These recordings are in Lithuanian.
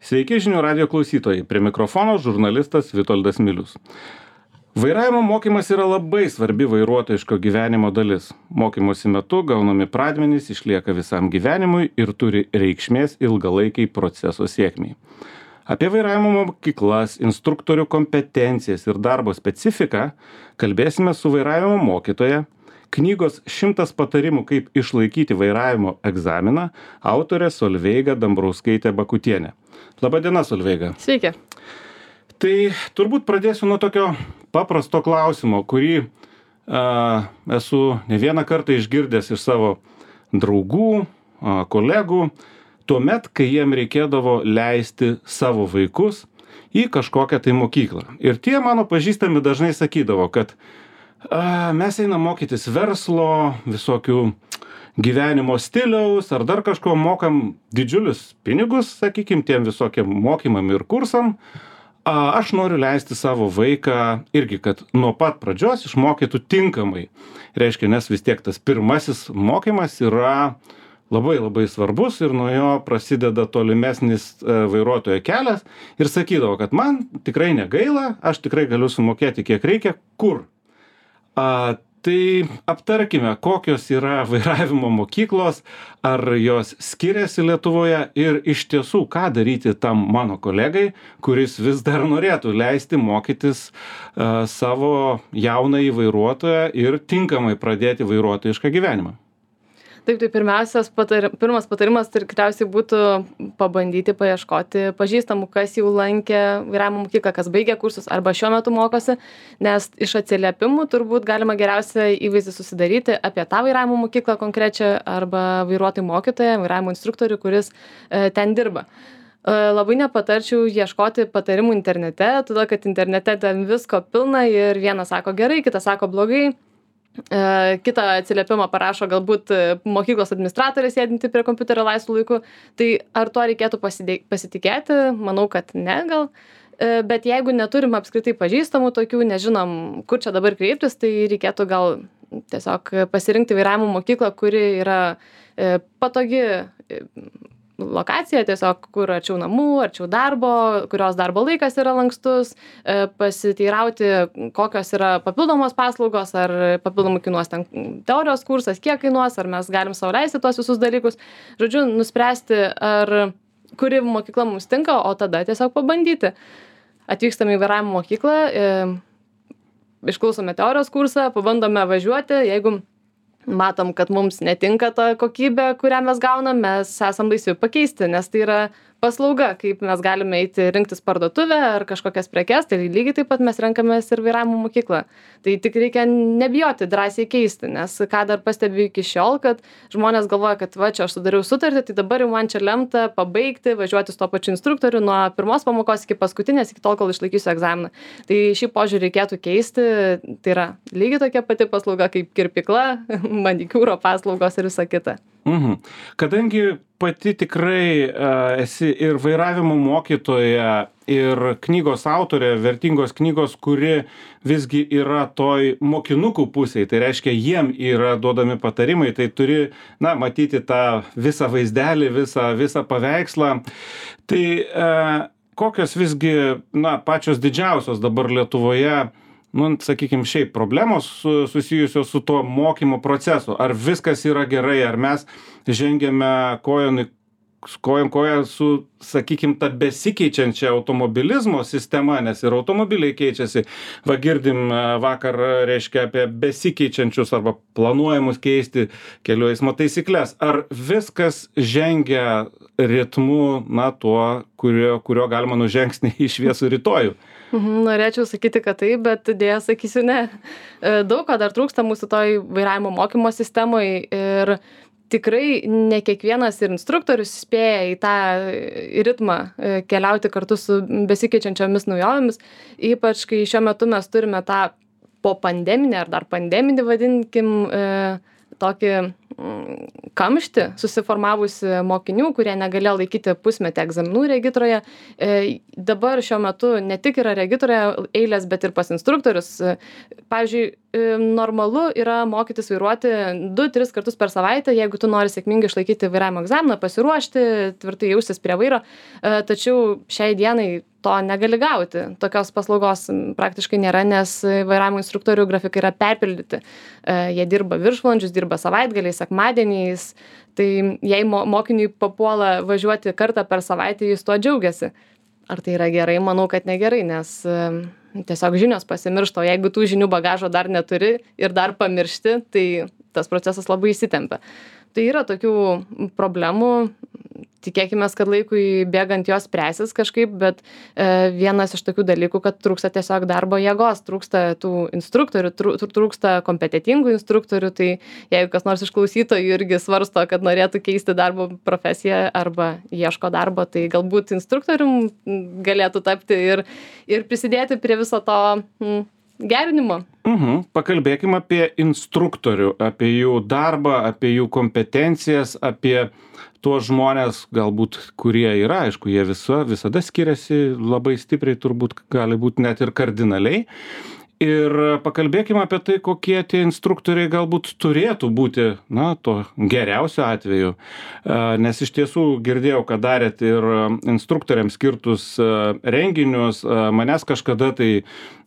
Sveiki žinių radijo klausytojai, prie mikrofono žurnalistas Vitoldas Milius. Vairavimo mokymas yra labai svarbi vairuotojiško gyvenimo dalis. Mokymosi metu gaunami pradmenys išlieka visam gyvenimui ir turi reikšmės ilgalaikiai proceso sėkmiai. Apie vairavimo mokyklas, instruktorių kompetencijas ir darbo specifiką kalbėsime su vairavimo mokytoja, knygos 100 patarimų, kaip išlaikyti vairavimo egzaminą, autorė Solveiga Dambrauskaitė Bakutienė. Labadiena, Solveiga. Sveiki. Tai turbūt pradėsiu nuo tokio paprasto klausimo, kurį esu ne vieną kartą išgirdęs iš savo draugų, kolegų, tuomet, kai jiem reikėdavo leisti savo vaikus į kažkokią tai mokyklą. Ir tie mano pažįstami dažnai sakydavo, kad mes einam mokytis verslo, visokių gyvenimo stiliaus ar dar kažko, mokam didžiulius pinigus, sakykim, tiem visokiem mokymam ir kursam. Aš noriu leisti savo vaiką irgi, kad nuo pat pradžios išmokytų tinkamai. Reiškia, nes vis tiek tas pirmasis mokymas yra labai labai svarbus ir nuo jo prasideda tolimesnis vairuotojo kelias. Ir sakydavo, kad man tikrai negaila, aš tikrai galiu sumokėti kiek reikia, kur. Tai aptarkime, kokios yra vairavimo mokyklos, ar jos skiriasi Lietuvoje ir iš tiesų, ką daryti tam mano kolegai, kuris vis dar norėtų leisti mokytis savo jaunąjį vairuotoją ir tinkamai pradėti vairuotojišką gyvenimą. Taip, tai pirmas patarimas tikriausiai būtų pabandyti paieškoti pažįstamų, kas jau lankė vairavimo mokyklą, kas baigė kursus arba šiuo metu mokosi, nes iš atsiliepimų turbūt galima geriausia įvaizdį susidaryti apie tą vairavimo mokyklą konkrečią arba vairuotojų mokytoją, vairavimo instruktorių, kuris ten dirba. Labai nepatarčiau ieškoti patarimų internete, todėl kad internete ten visko pilna ir vienas sako gerai, kitas sako blogai. Kitą atsiliepimą parašo galbūt mokyklos administratorė sėdinti prie kompiuterio laisvu laiku. Tai ar tuo reikėtų pasitikėti? Manau, kad ne gal. Bet jeigu neturim apskritai pažįstamų tokių, nežinom, kur čia dabar kreiptis, tai reikėtų gal tiesiog pasirinkti vairavimo mokyklą, kuri yra patogi lokacija, tiesiog kur arčiau namų, arčiau darbo, kurios darbo laikas yra lankstus, pasiteirauti, kokios yra papildomos paslaugos, ar papildomai kainuos ten teorijos kursas, kiek kainuos, ar mes galim sau leisti tuos visus dalykus. Žodžiu, nuspręsti, ar kuri mokykla mums tinka, o tada tiesiog pabandyti. Atvykstame į vairavimo mokyklą, išklausome teorijos kursą, pabandome važiuoti, jeigu matom, kad mums netinka ta kokybė, kurią mes gaunam, mes esam laisvi pakeisti, nes tai yra paslauga, kaip mes galime eiti rinktis parduotuvę ar kažkokias prekes, tai lygiai taip pat mes renkamės ir vairavimo mokyklą. Tai tik reikia nebijoti drąsiai keisti, nes ką dar pastebiu iki šiol, kad žmonės galvoja, kad va, čia aš sudariau sutartį, tai dabar jau man čia lemta pabaigti, važiuoti su to pačiu instruktoriu nuo pirmos pamokos iki paskutinės, iki tol, kol išlaikysiu egzaminą. Tai šį požiūrį reikėtų keisti, tai yra lygiai tokia pati paslauga kaip kirpykla, manikiūro paslaugos ir visa kita. Kadangi pati tikrai esi ir vairavimo mokytoja, ir knygos autorė, vertingos knygos, kuri visgi yra toj mokinukų pusėje, tai reiškia, jiem yra duodami patarimai, tai turi, matyti tą visą vaizdelį, visą paveikslą. Tai kokios visgi, pačios didžiausios dabar Lietuvoje, sakykime, šiaip problemos susijusios su tuo mokymo procesu. Ar viskas yra gerai, ar mes žengiame kojon su, sakykime, ta besikeičiančia automobilizmo sistema, nes ir automobiliai keičiasi. Va, girdim vakar, reiškia, apie besikeičiančius arba planuojamus keisti kelių eismo taisyklės. Ar viskas žengia ritmu, tuo, kurio galima nužengti į šviesų rytojų? Norėčiau sakyti, kad taip, bet dėja sakysiu ne. Daug ko dar trūksta mūsų toj vairavimo mokymo sistemoje ir tikrai ne kiekvienas ir instruktorius spėja į tą ritmą keliauti kartu su besikeičiančiomis naujovėmis, ypač kai šiuo metu mes turime tą po pandeminį ar dar pandeminį, vadinkim, tokį kamštį susiformavusi mokinių, kurie negalėjo laikyti pusmetį egzaminų regitroje. Dabar šiuo metu ne tik yra regitroje eilės, bet ir pas instruktorius. Pavyzdžiui, normalu yra mokytis vairuoti 2-3 kartus per savaitę, jeigu tu nori sėkmingai išlaikyti vairavimo egzaminą, pasiruošti, tvirtai jaustis prie vairo. Tačiau šiai dienai to negali gauti. Tokios paslaugos praktiškai nėra, nes vairavimo instruktorių grafikai yra perpildyti. Jie dirba viršvalandžius, dirba savaitgaliais, sekmadieniais. Tai jei mokiniui papuola važiuoti kartą per savaitę, jis tuo džiaugiasi. Ar tai yra gerai? Manau, kad negerai, nes tiesiog žinios pasimiršta. O jeigu tų žinių bagažo dar neturi ir dar pamiršti, tai tas procesas labai įsitempia. Tai yra tokių problemų. Tikėkimės, kad laikui bėgant jos spręsis kažkaip, bet vienas iš tokių dalykų, kad trūksta tiesiog darbo jėgos, trūksta tų instruktorių, trūksta kompetitingų instruktorių, tai jeigu kas nors iš klausytojų irgi svarsto, kad norėtų keisti darbo profesiją arba ieško darbo, tai galbūt instruktorium galėtų tapti ir prisidėti prie viso to gerinimo. Pakalbėkime apie instruktorių, apie jų darbą, apie jų kompetencijas, apie tuos žmonės, galbūt, kurie yra, aišku, jie visada skiriasi labai stipriai, turbūt gali būti net ir kardinaliai. Ir pakalbėkime apie tai, kokie tie instruktoriai galbūt turėtų būti, to geriausio atveju. Nes iš tiesų girdėjau, kad darėt ir instruktoriams skirtus renginius. Manęs kažkada tai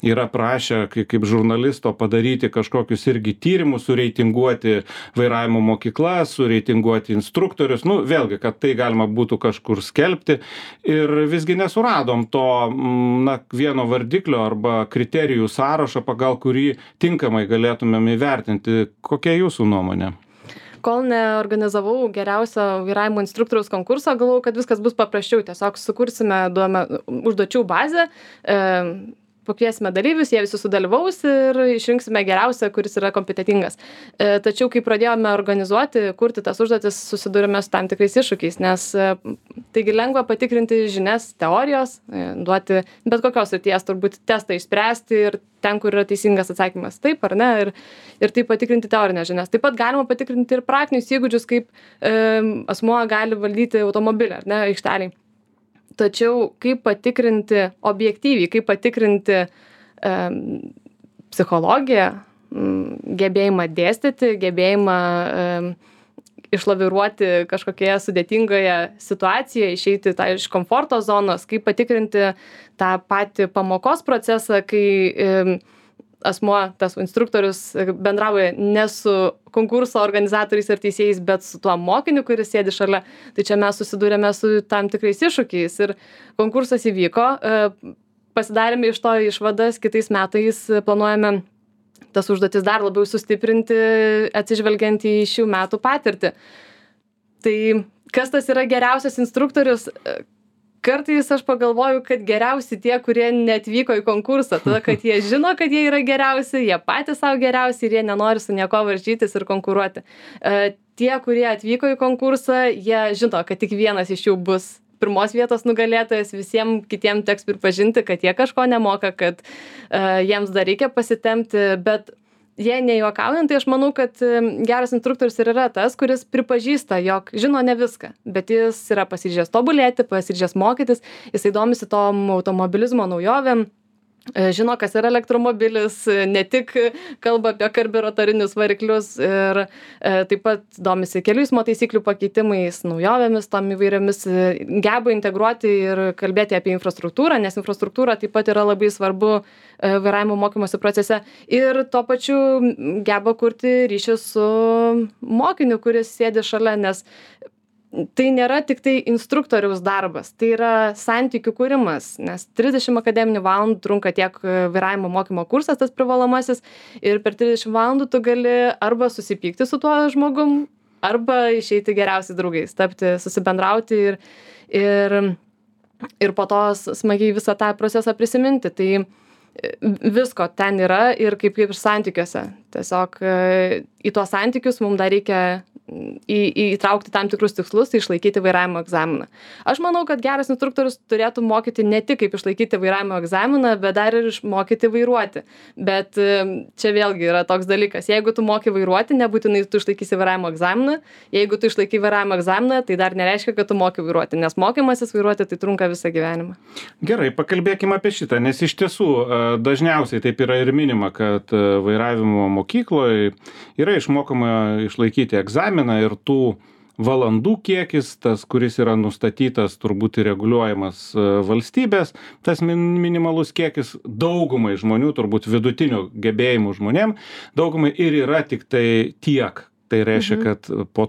yra prašę, kaip žurnalisto, padaryti kažkokius irgi tyrimus, sureitinguoti vairavimo mokyklas, sureitinguoti instruktorius. Vėlgi, kad tai galima būtų kažkur skelbti. Ir visgi nesuradom to vieno vardiklio arba kriterijų sąrašą, pagal kurį tinkamai galėtumėm įvertinti. Kokia jūsų nuomonė? Kol neorganizavau geriausio vairavimo instruktoriaus konkurso, galvojau, kad viskas bus paprasčiau. Tiesiog sukursime užduočių bazę, pakviesime dalyvius, jie visi sudalyvaus ir išrinksime geriausią, kuris yra kompetentingas. Tačiau, kai pradėjome organizuoti, kurti tas užduotis, susidūrėme su tam tikrais iššūkiais, nes taigi lengva patikrinti žinias teorijos, duoti bet kokios srities turbūt testą išspręsti ir ten, kur yra teisingas atsakymas, taip ar ne, ir taip patikrinti teorinės žinias. Taip pat galima patikrinti ir praktinius įgūdžius, kaip asmuo gali valdyti automobilį, ar ne, aikšteliai. Tačiau kaip patikrinti objektyviai, kaip patikrinti psichologiją, gebėjimą dėstyti, gebėjimą išlaviruoti kažkokioje sudėtingoje situacijoje, išeiti iš komforto zonos, kaip patikrinti tą patį pamokos procesą, kai asmuo, tas instruktorius bendrauja ne su konkurso organizatoriais ar teisėjais, bet su tuo mokiniu, kuris sėdi šalia. Tai čia mes susidūrėme su tam tikrais iššūkiais ir konkursas įvyko, pasidarėme iš to išvadas, kitais metais planuojame tas užduotis dar labiau sustiprinti, atsižvelgiant į šių metų patirtį. Tai kas tas yra geriausias instruktorius? Kartais aš pagalvoju, kad geriausi tie, kurie neatvyko į konkursą, tada, kad jie žino, kad jie yra geriausi, jie patys savo geriausi ir jie nenori su nieko varžytis ir konkuruoti. Tie, kurie atvyko į konkursą, jie žino, kad tik vienas iš jų bus pirmos vietos nugalėtojas, visiems kitiems teks pripažinti, kad jie kažko nemoka, kad jiems dar reikia pasitempti, bet jie nejuokaujant, tai aš manau, kad geras instruktorius ir yra tas, kuris pripažįsta, jog žino ne viską, bet jis yra pasiryžęs tobulėti, pasiryžęs mokytis, jisai domisi tom automobilizmo naujovėm, žino, kas yra elektromobilis, ne tik kalba apie karbiuratorinius variklius ir taip pat domisi kelių eismo taisyklių pakeitimais, naujovėmis, tom įvairiomis, geba integruoti ir kalbėti apie infrastruktūrą, nes infrastruktūra taip pat yra labai svarbu vairavimo mokymosi procese ir tuo pačiu geba kurti ryšį su mokiniu, kuris sėdi šalia, nes tai nėra tik tai instruktoriaus darbas, tai yra santykių kūrimas, nes 30 akademinių valandų trunka tiek vairavimo mokymo kursas, tas privalomasis, ir per 30 valandų tu gali arba susipykti su tuo žmogum, arba išeiti geriausiais draugais, tapti, susibendrauti ir po to smagiai visą tą procesą prisiminti. Tai visko ten yra ir kaip ir santykiuose. Tiesiog į tuos santykius mums dar reikia įtraukti tam tikrus tikslus, tai išlaikyti vairavimo egzaminą. Aš manau, kad geras instruktorius turėtų mokyti ne tik kaip išlaikyti vairavimo egzaminą, bet dar ir išmokyti vairuoti. Bet čia vėlgi yra toks dalykas. Jeigu tu moki vairuoti, nebūtinai tu išlaikysi vairavimo egzaminą. Jeigu tu išlaikai vairavimo egzaminą, tai dar nereiškia, kad tu moki vairuoti, nes mokymasis vairuoti tai trunka visą gyvenimą. Gerai, pakalbėkime apie šitą, nes iš tiesų dažniausiai taip yra ir minima, kad vairavimo mokykloje yra išmokama išlaikyti egzaminą ir tų valandų kiekis, tas, kuris yra nustatytas, turbūt ir reguliuojamas valstybės, tas minimalus kiekis daugumai žmonių, turbūt vidutinių gebėjimų žmonėm, daugumai ir yra tik tai tiek. Tai reiškia, kad po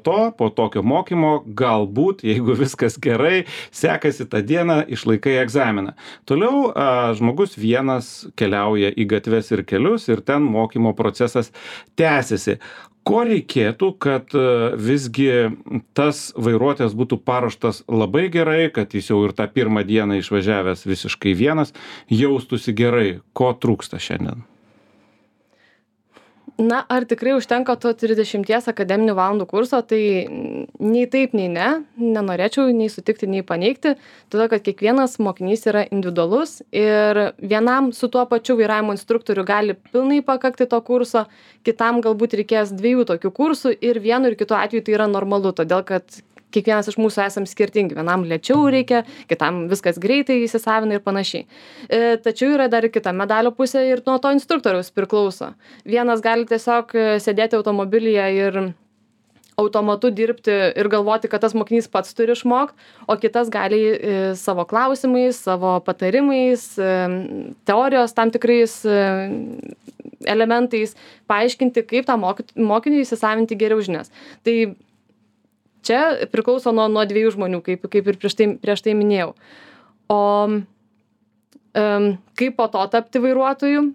tokio mokymo, galbūt, jeigu viskas gerai, sekasi tą dieną, išlaikai egzaminą. Toliau žmogus vienas keliauja į gatves ir kelius ir ten mokymo procesas tęsiasi. Ko reikėtų, kad visgi tas vairuotojas būtų paruoštas labai gerai, kad jis jau ir tą pirmą dieną išvažiavęs visiškai vienas, jaustųsi gerai? Ko trūksta šiandien? Na, ar tikrai užtenka to 30 akademinių valandų kurso, tai nei taip, nei ne, nenorėčiau nei sutikti, nei paneigti, todėl kad kiekvienas mokinys yra individualus ir vienam su tuo pačiu vairavimo instruktoriu gali pilnai pakakti to kurso, kitam galbūt reikės 2 tokių kursų ir vienu ir kitu atveju tai yra normalu, todėl kad kiekvienas iš mūsų esam skirtingi. Vienam lėčiau reikia, kitam viskas greitai įsisavina ir panašiai. Tačiau yra dar ir kita medalio pusė ir nuo to instruktoriaus priklauso. Vienas gali tiesiog sėdėti automobilyje ir automatu dirbti ir galvoti, kad tas mokinys pats turi išmokti, o kitas gali savo klausimais, savo patarimais, teorijos tam tikrais elementais paaiškinti, kaip tą mokiniui įsisavinti geriau žinias. Tai čia priklauso nuo 2 žmonių, kaip ir prieš tai minėjau. O kaip po to tapti vairuotoju?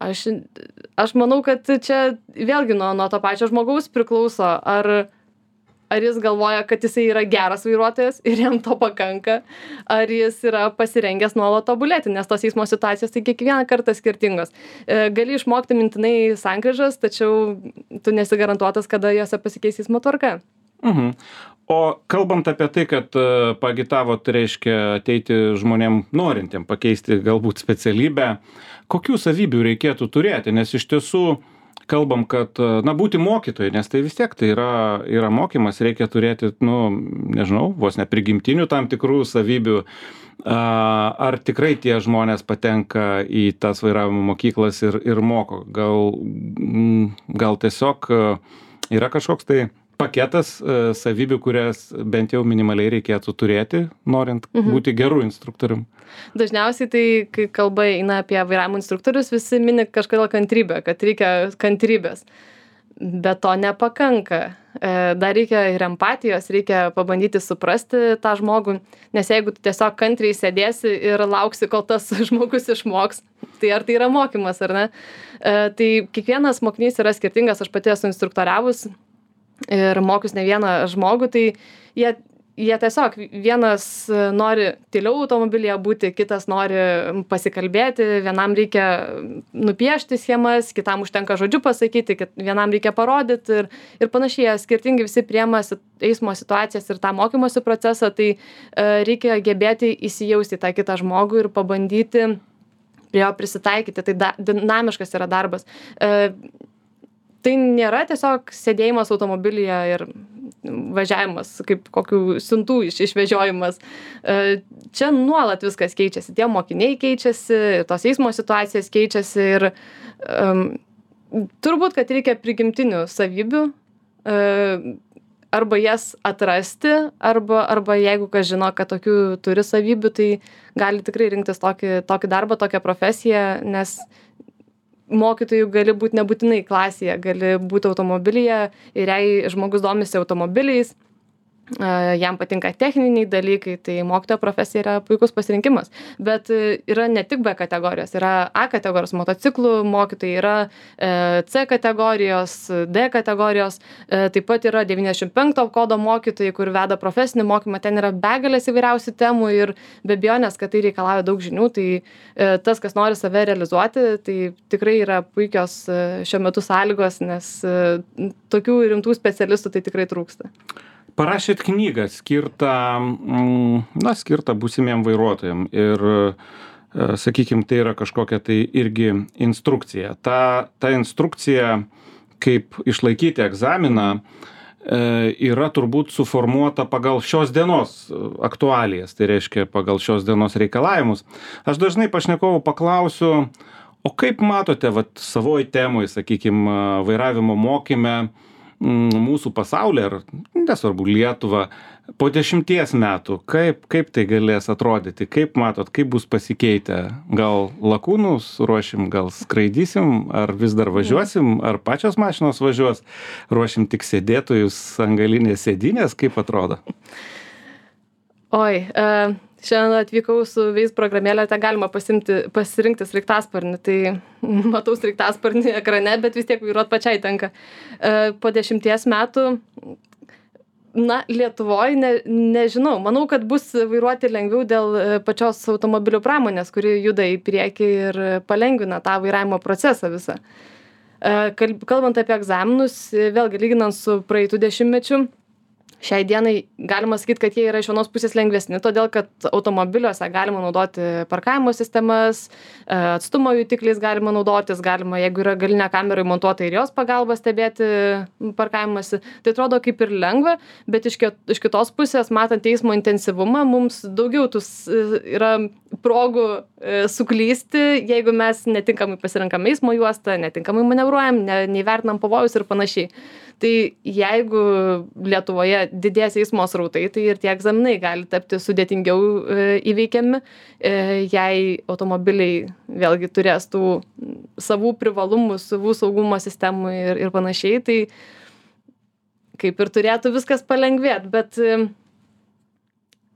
Aš manau, kad čia vėlgi nuo to pačio žmogaus priklauso, ar jis galvoja, kad jisai yra geras vairuotojas ir jam to pakanka, ar jis yra pasirengęs nuolat tobulėti, nes tos eismo situacijos tai kiekvieną kartą skirtingos. Gali išmokti mintinai sankryžas, tačiau tu nesi garantuotas, kada jose pasikeis eismo tvarka. O kalbant apie tai, kad paagitavot, reiškia ateiti žmonėm norintiem pakeisti galbūt specialybę, kokių savybių reikėtų turėti, nes iš tiesų kalbam, kad, būti mokytojai, nes tai vis tiek tai yra mokymas, reikia turėti, nežinau, vos ne prigimtinių tam tikrų savybių. Ar tikrai tie žmonės patenka į tas vairavimo mokyklas ir moko? Gal tiesiog yra kažkoks tai paketas savybių, kurias bent jau minimaliai reikėtų turėti, norint būti geru instruktorium? Dažniausiai tai, kai kalba eina apie vairavimo instruktorius, visi mini kažkodėl kantrybę, kad reikia kantrybės. Bet to nepakanka. Dar reikia ir empatijos, reikia pabandyti suprasti tą žmogų, nes jeigu tu tiesiog kantriai sėdėsi ir lauksi, kol tas žmogus išmoks, tai ar tai yra mokymas, ar ne? Tai kiekvienas mokinys yra skirtingas, aš pati esu instruktoriavus ir mokius ne vieną žmogų, tai jie tiesiog vienas nori tyliau automobilyje būti, kitas nori pasikalbėti, vienam reikia nupiešti schemas, kitam užtenka žodžiu pasakyti, vienam reikia parodyti ir panašiai, skirtingai visi priema eismo situacijas ir tą mokymosi procesą, tai reikia gebėti įsijausti į tą kitą žmogų ir pabandyti prie jo prisitaikyti, tai dinamiškas yra darbas. Tai nėra tiesiog sėdėjimas automobilyje ir važiavimas, kaip kokių siuntų išvežiojimas. Čia nuolat viskas keičiasi, tie mokiniai keičiasi, tos eismo situacijos keičiasi ir turbūt, kad reikia prigimtinių savybių, arba jas atrasti, arba jeigu kas žino, kad tokių turi savybių, tai gali tikrai rinktis tokį darbą, tokią profesiją, nes mokytojų gali būti nebūtinai klasėje, gali būti automobilyje ir jei žmogus domisi automobiliais, jam patinka techniniai dalykai, tai mokytojo profesija yra puikus pasirinkimas. Bet yra ne tik B kategorijos, yra A kategorijos motociklų mokytojai, yra C kategorijos, D kategorijos, taip pat yra 95 kodo mokytojai, kur veda profesinį mokymą, ten yra begalės įvairiausių temų ir be abejonės, kad tai reikalauja daug žinių, tai tas, kas nori save realizuoti, tai tikrai yra puikios šiuo metu sąlygos, nes tokių rimtų specialistų tai tikrai trūksta. Parašėt knygą skirtą būsimiem vairuotojam ir, sakykime, tai yra kažkokia tai irgi instrukcija. Ta instrukcija, kaip išlaikyti egzaminą, yra turbūt suformuota pagal šios dienos aktualijas, tai reiškia pagal šios dienos reikalavimus. Aš dažnai pašnekovų paklausiu, o kaip matote savoj temoj, sakykime, vairavimo mokyme, mūsų pasaulį, ar nesvarbu Lietuvą, po 10 metų, kaip tai galės atrodyti, kaip matot, kaip bus pasikeitę, gal lakūnus ruošim, gal skraidysim, ar vis dar važiuosim, ar pačios mašinos važiuos, ruošim tik sėdėtojus ant galinės sėdynės, kaip atrodo? Oi, šiandien atvykau su Waze programėlė, ten galima pasirinkti sraigtasparnį, tai matau sraigtasparnį ekrane, bet vis tiek vairuot pačiai tenka. Po 10 metų, Lietuvoje nežinau, manau, kad bus vairuoti lengviau dėl pačios automobilių pramonės, kuri juda į priekį ir palengvina tą vairavimo procesą visą. Kalbant apie egzaminus, vėlgi lyginant su praeitų dešimtmečių, šiai dienai galima sakyti, kad jie yra iš vienos pusės lengvesni, todėl kad automobiliuose galima naudoti parkavimo sistemas, atstumo jutikliais galima naudotis, galima, jeigu yra galinė kamera įmontuota ir jos pagalba stebėti parkavimąsi. Tai atrodo kaip ir lengva, bet iš kitos pusės, matant eismo intensyvumą, mums daugiau yra progų suklysti, jeigu mes netinkamai pasirenkam eismo juostą, netinkamai manevruojam, neįvertinam pavojus ir panašiai. Tai jeigu Lietuvoje didės eismo srautai, tai ir tie egzaminai gali tapti sudėtingiau įveikiami, jei automobiliai vėlgi turės tų savų privalumų, savų saugumo sistemų ir panašiai, tai kaip ir turėtų viskas palengvėti, bet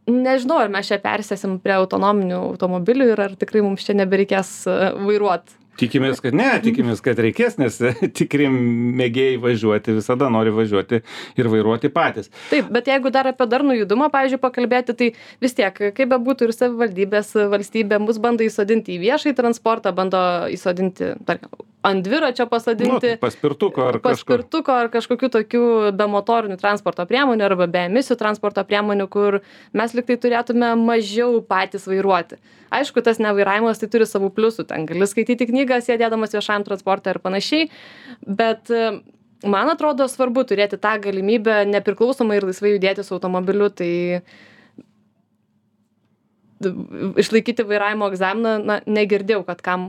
nežinau, ar mes čia persėsim prie autonominių automobilių ir ar tikrai mums čia nebereikės vairuoti. Tikimės, kad reikės, nes tikri mėgėjai važiuoti visada nori važiuoti ir vairuoti patys. Taip, bet jeigu dar apie darnų judumą, pavyzdžiui, pakalbėti, tai vis tiek, kaip bebūtų ir savivaldybės, valstybė mus bando įsodinti į viešąjį transportą, bando įsodinti, tarkim, ant dviračio pasodinti, paspirtuko ar kažkokių tokių be motorinių transporto priemonių arba be emisijų transporto priemonių, kur mes liktai turėtume mažiau patys vairuoti. Aišku, tas nevairavimas tai turi savų pliusų, ten gali skaityti knygą, sėdėdamas viešajam transporte ir panašiai, bet man atrodo svarbu turėti tą galimybę nepriklausomai ir laisvai judėti su automobiliu, tai išlaikyti vairavimo egzaminą, negirdėjau, kad kam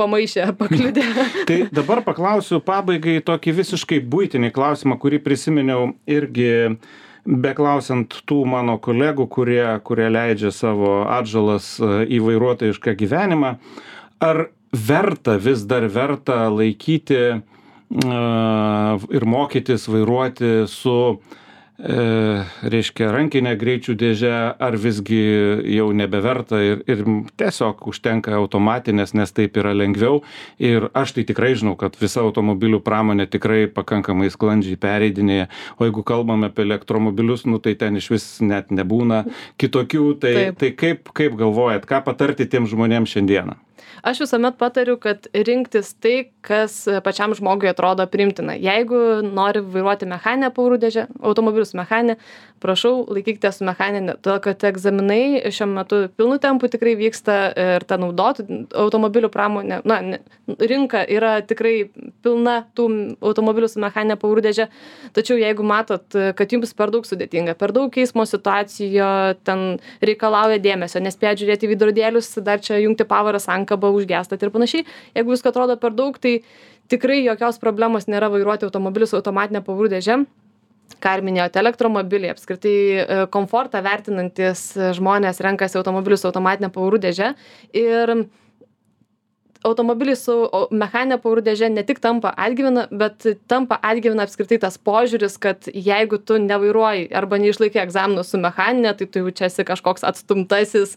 pamaišė ar pakliudė. Tai dabar paklausiu pabaigai tokį visiškai buitinį klausimą, kurį prisiminiau irgi beklausiant tų mano kolegų, kurie leidžia savo atžalas į vairuotojišką gyvenimą. Ar vis dar verta laikyti ir mokytis vairuoti su reiškia rankinė greičių dėžė, ar visgi jau nebeverta ir tiesiog užtenka automatinės, nes taip yra lengviau. Ir aš tai tikrai žinau, kad visa automobilių pramonė tikrai pakankamai sklandžiai pereidinėja. O jeigu kalbame apie elektromobilius, tai ten iš vis net nebūna kitokių. Tai kaip galvojat, ką patarti tiem žmonėms šiandieną? Aš visuomet patariu, kad rinktis tai, kas pačiam žmogui atrodo priimtina. Jeigu nori vairuoti mechaninę pavarų dėžę, automobilius mechaninę, prašau, laikykite su mechaninė, todėl kad egzaminai šiuo metu pilnu tempu tikrai vyksta ir ta naudotų automobilių pramonė, rinka yra tikrai pilna tų automobilių su mechaninė pavarų dėžė, tačiau jeigu matot, kad jums per daug sudėtinga, per daug eismo situacijo, ten reikalauja dėmesio, nespėjat žiūrėti į veidrodėlius, dar čia jungti pavarą, sankabą, užgestat ir panašiai. Jeigu visko atrodo per daug, tai tikrai jokios problemos nėra vairuoti automobilius su automatinė pavarų dėže. Ką ir minėjote, elektromobiliai, apskritai komfortą vertinantis žmonės renkasi automobilius su automatinė pavarų dėže. Ir automobiliai su mechaninė pavarų dėže ne tik tampa atgyvena, bet tampa atgyvena apskritai tas požiūris, kad jeigu tu nevairuoji arba neišlaikai egzaminų su mechaninė, tai tu jau čia esi kažkoks atstumtasis,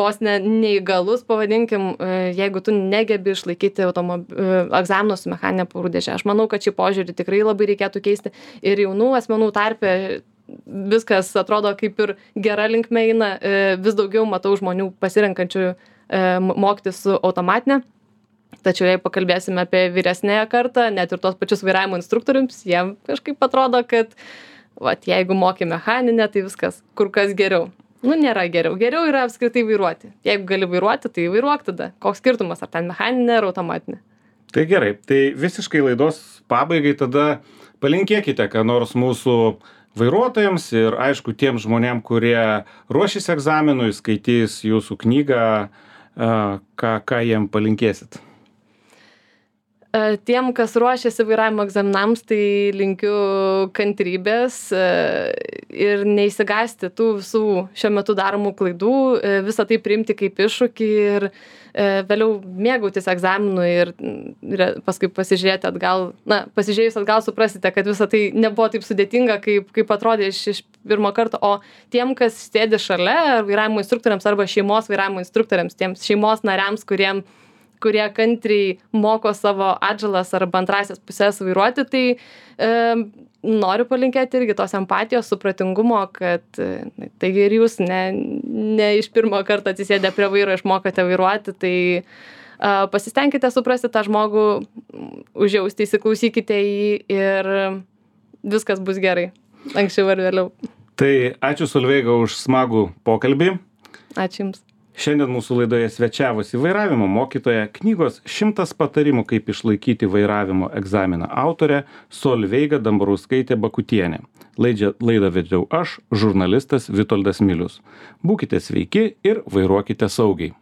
vos neįgalus, pavadinkim, jeigu tu negebi išlaikyti egzaminų su mechaninė pavarų dėže. Aš manau, kad šį požiūrį tikrai labai reikėtų keisti ir jaunų asmenų tarpe viskas atrodo kaip ir gera linkme eina, vis daugiau matau žmonių pasirenkančių mokytis su automatinė. Tačiau jei pakalbėsime apie vyresnėją kartą, net ir tos pačius vairavimo instruktoriams, jiem kažkaip atrodo, kad jeigu moki mechaninę, tai viskas kur kas geriau. Nėra geriau. Geriau yra apskritai vairuoti. Jeigu gali vairuoti, tai vairuok tada. Koks skirtumas, ar ten mechaninė ar automatinė? Tai gerai. Tai visiškai laidos pabaigai tada palinkėkite, ką nors mūsų vairuotojams ir aišku tiems žmonėm, kurie ruošis egzaminui, skaitys jūsų knygą, ką jiem palinkėsit? Tiem, kas ruošiasi vairavimo egzaminams, tai linkiu kantrybės ir neįsigąsti tų visų šiuo metu daromų klaidų, visą tai priimti kaip iššūkį ir vėliau mėgautis egzaminu ir paskui pasižiūrėti atgal, pasižiūrėjus atgal suprasite, kad visa tai nebuvo taip sudėtinga, kaip atrodė iš pirmo karto, o tiem, kas sėdi šalia vairavimo instruktoriams arba šeimos vairavimo instruktoriams, tiems šeimos nariams, kurie kantriai moko savo atžalas arba antrasias pusės vairuoti, tai noriu palinkėti irgi tos empatijos, supratingumo, kad taigi ir jūs ne iš pirmo karto atsisėdę prie vairo išmokote vairuoti, tai pasistengkite suprasti tą žmogų, užjausti, įsiklausykite į jį ir viskas bus gerai, anksčiau ar vėliau. Tai ačiū Solveiga už smagų pokalbį. Ačiū Jums. Šiandien mūsų laidoje svečiavosi vairavimo mokytoja, knygos 100 patarimų, kaip išlaikyti vairavimo egzaminą autorė Solveiga Dambrauskaitė Bakutienė. Laidą vedžiau aš, žurnalistas Vitoldas Milius. Būkite sveiki ir vairuokite saugiai.